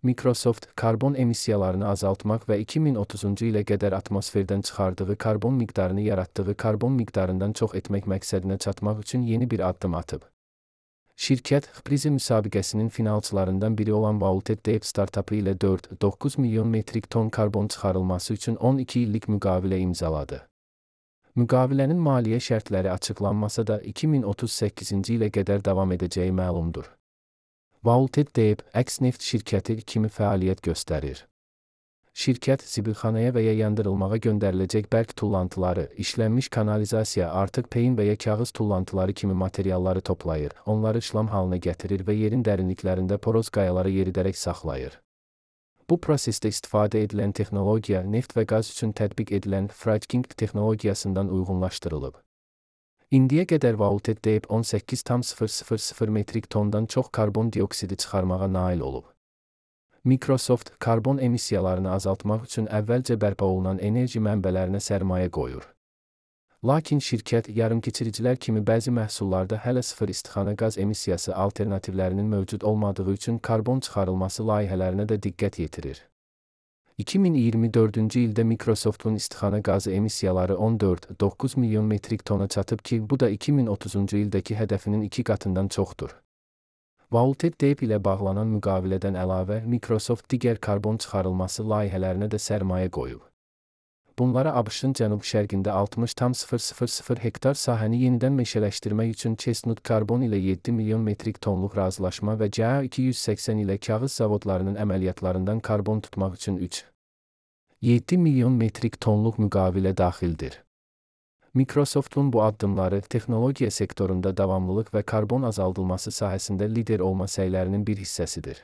Microsoft, karbon emissiyalarını azaltmaq və 2030-cu ilə qədər atmosferdən çıxardığı karbon miqdarını yaratdığı karbon miqdarından çox etmək məqsədinə çatmaq üçün yeni bir addım atıb. Şirkət, Prize müsabiqəsinin finalçılarından biri olan Vaulted Deep startapı ilə 4,9 milyon metrik ton karbon çıxarılması üçün 12 illik müqavilə imzaladı. Müqavilənin maliyyə şərtləri açıqlanmasa da 2038-ci ilə qədər davam edəcəyi məlumdur. Vaulted Deep, əks neft şirkəti kimi fəaliyyət göstərir. Şirkət, zibilxanaya və ya yandırılmağa göndəriləcək bərk tullantıları, işlənmiş kanalizasiya, artıq peyin və ya kağız tullantıları kimi materialları toplayır, onları işlam halına gətirir və yerin dərinliklərində poroz qayaları yeridərək saxlayır. Bu prosesdə istifadə edilən texnologiya, neft və qaz üçün tətbiq edilən fracking texnologiyasından uyğunlaşdırılıb. İndiyə qədər Vaulted Deep 18,000 metrik tondan çox karbon dioksidi çıxarmağa nail olub. Microsoft, karbon emissiyalarını azaltmaq üçün əvvəlcə bərpa olunan enerji mənbələrinə sərmayə qoyur. Lakin şirkət, yarımkeçiricilər kimi bəzi məhsullarda hələ sıfır istixana qaz emissiyası alternativlərinin mövcud olmadığı üçün karbon çıxarılması layihələrinə də diqqət yetirir. 2024-cü ildə Microsoft'un istixana qazı emissiyaları 14,9 milyon metrik tona çatıb ki, bu da 2030-cu ildəki hədəfinin 2 qatından çoxdur. Vaulted Deep ilə bağlanan müqavilədən əlavə, Microsoft digər karbon çıxarılması layihələrinə də sərmayə qoyub. Bunlara ABŞ-ın cənub-şərqində 60,000 hektar sahəni yenidən meşələşdirmək üçün Chestnut Carbon ilə 7 milyon metrik tonluq razılaşma və CA 280 ilə kağız zavodlarının əməliyyatlarından karbon tutmaq üçün 3,7 milyon metrik tonluq müqavilə daxildir. Microsoft'un bu addımları, texnologiya sektorunda davamlılıq və karbon azaldılması sahəsində lider olma səylərinin bir hissəsidir.